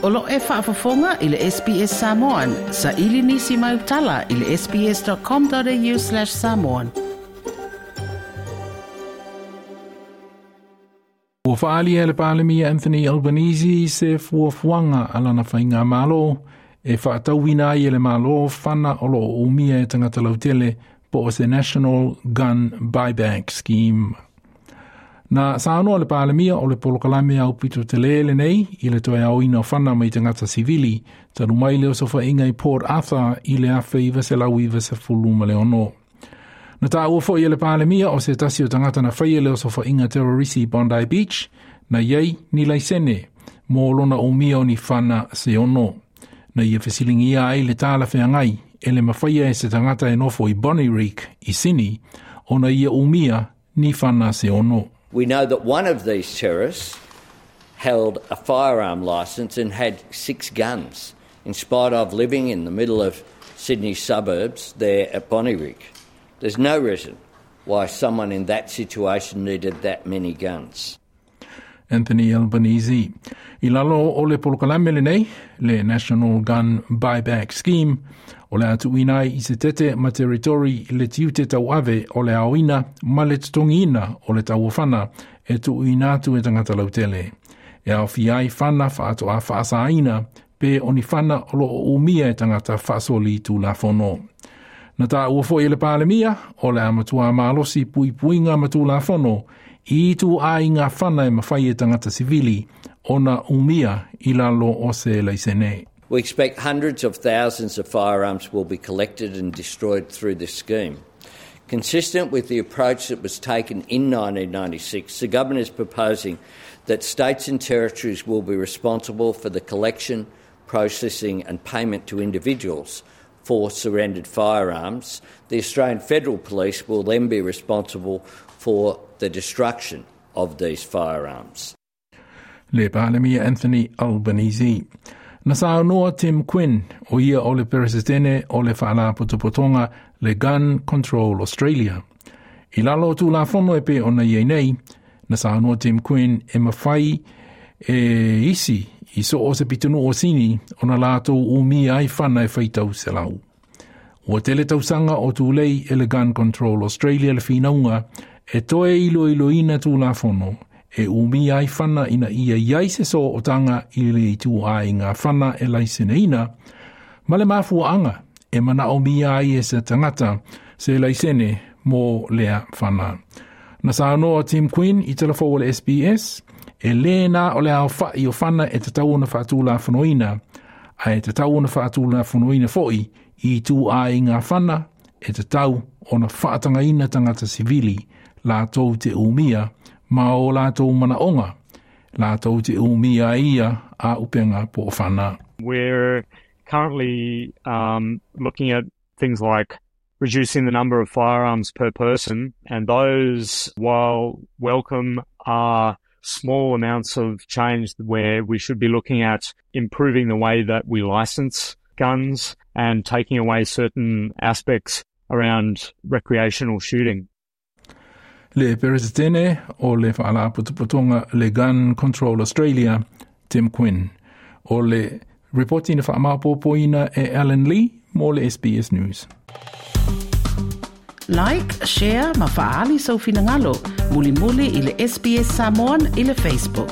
O lo e faafofoga i le SBS Samoan. Saili nisi mai utala i le sbs.com.au/samoan. Ua faalia e le Palemia Anthony Albanese se fuafuaga a lana faigamalo e faatauina ai e le Malo fana o lo o umia e tagata lautele po o se National Gun Buyback Scheme. Na saunoa le Palemia o le polokalame aupito tele lenei i le toe aoina o fana mai tagata sivili talu mai le osofaiga i Port Arthur i le 1996. Na taua foi e le Palemia o se tasi o tagata na faia le osofaiga terrorisi i Bondi Beach, na i ai ni laisene mo lona umia o ni fana se ono. Na ia fesiligia ai le talafeagai e le mafaia e se tagata e nofo i Bonnyrigg i Sini ona ia umia ni fana se ono. We know that one of these terrorists held a firearm licence and had 6 guns, in spite of living in the middle of Sydney suburbs there at Bonnyrigg. There's no reason why someone in that situation needed that many guns. Anthony Albanese. I lalo o le polokalame lenei, le National Gun Buyback Scheme, o le a tuuina ai i se tete ma territori le tiute tauave o le aoina ma le totogiina o le tauofana e tuuina atu e tagata lautele. E aofia ai fana faatoa faasaina pe o ni fana o lo o umia e tagata faasoli tulafono. Na taua foi e le Palemia o le a matua malosi puipuiga ma tulafono i ituaiga fana e mafai e tagata sivili ona umia i lalo o se laisene. We expect hundreds of thousands of firearms will be collected and destroyed through this scheme. Consistent with the approach that was taken in 1996, the government is proposing that states and territories will be responsible for the collection, processing and payment to individuals for surrendered firearms. The Australian Federal Police will then be responsible for the destruction of these firearms. Le Palemia Anthony Albanese. Na saunoa Tim Quinn, o ia o le Peresetene o le Faalapotopotoga le Gun Control Australia. I lalo o Tulafono e pei ona i ai nei, na saunoa Tim Quinn e mafai e isi i so o se pitonuu o Sini ona latou umia ai fana e faitau selau. Ua tele tausaga o tulei e le Gun Control Australia le finauga e toe iloiloina Tulafono e umia ai fana ina ia i ai se sootaga i le ituaiga fana e laiseneina, ma le mafuaaga e manaomia ai e se tagata se laisene mo lea fana. Na saunoa Tim Quinn i talafou a le SBS, e lē na o le aofa'i o fana e tatau ona faatulafonoina, ae tatau ona faatulafonoina fo'i i ituaiga fana e tatau ona faatagaina tagata sivili latou te umia ma o latou manaoga, latou te umia ai ia auupega po o fana. We're currently looking at things like reducing the number of firearms per person, and those, while welcome, are small amounts of change where we should be looking at improving the way that we license guns and taking away certain aspects around recreational shooting. Le Peresetene o le Faalapotopotoga le Gun Control Australia, Tim Quinn. O le ripoti na faamaopoopoina e Alan Lee mo le SBS News. Like, share ma faaali sou finagalo. Mulimuli i le SBS Samoan i le Facebook.